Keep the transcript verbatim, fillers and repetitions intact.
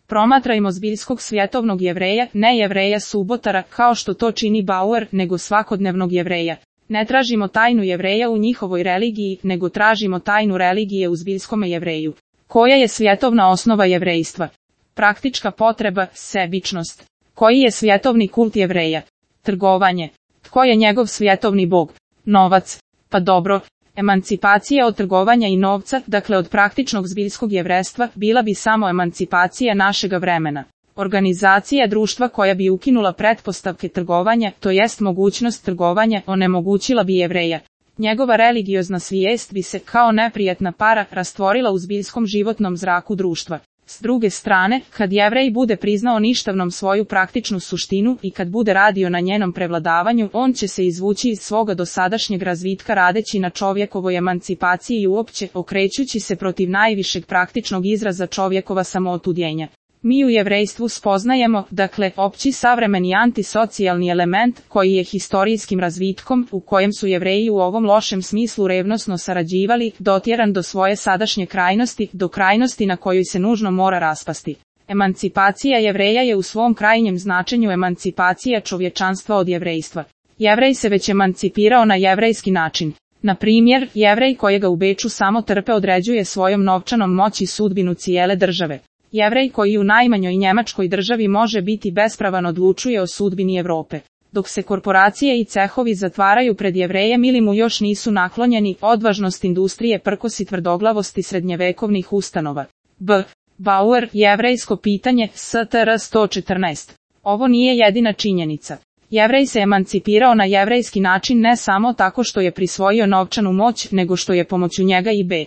Promatrajmo zbiljskog svjetovnog jevreja, ne jevreja subotara kao što to čini Bauer, nego svakodnevnog jevreja. Ne tražimo tajnu jevreja u njihovoj religiji, nego tražimo tajnu religije u zbiljskome jevreju. Koja je svjetovna osnova jevrejstva? Praktička potreba, sebičnost. Koji je svjetovni kult jevreja? Trgovanje. Tko je njegov svjetovni bog? Novac. Pa dobro. Emancipacija od trgovanja i novca, dakle od praktičnog zbiljskog jevrejstva, bila bi samo emancipacija našega vremena. Organizacija društva koja bi ukinula pretpostavke trgovanja, to jest mogućnost trgovanja, onemogućila bi jevreja. Njegova religiozna svijest bi se, kao neprijatna para, rastvorila u zbiljskom životnom zraku društva. S druge strane, kad jevrej bude priznao ništavnom svoju praktičnu suštinu i kad bude radio na njenom prevladavanju, on će se izvući iz svoga dosadašnjeg razvitka radeći na čovjekovoj emancipaciji i uopće okrećući se protiv najvišeg praktičnog izraza čovjekova samootuđenja. Mi u jevrejstvu spoznajemo, dakle, opći savremeni antisocijalni element koji je historijskim razvitkom, u kojem su jevreji u ovom lošem smislu revnosno sarađivali, dotjeran do svoje sadašnje krajnosti, do krajnosti na kojoj se nužno mora raspasti. Emancipacija jevreja je u svom krajnjem značenju emancipacija čovječanstva od jevrejstva. Jevrej se već emancipirao na jevrejski način. Na primjer, jevrej kojega u Beču samo trpe određuje svojom novčanom moći sudbinu cijele države. Jevrej koji u najmanjoj njemačkoj državi može biti bespravan odlučuje o sudbini Europe. Dok se korporacije i cehovi zatvaraju pred jevrejem ili mu još nisu naklonjeni, odvažnost industrije prkosi tvrdoglavosti srednjevekovnih ustanova. B. Bauer, jevrejsko pitanje, S T R sto četrnaest. Ovo nije jedina činjenica. Jevrej se emancipirao na jevrejski način ne samo tako što je prisvojio novčanu moć, nego što je pomoću njega i B.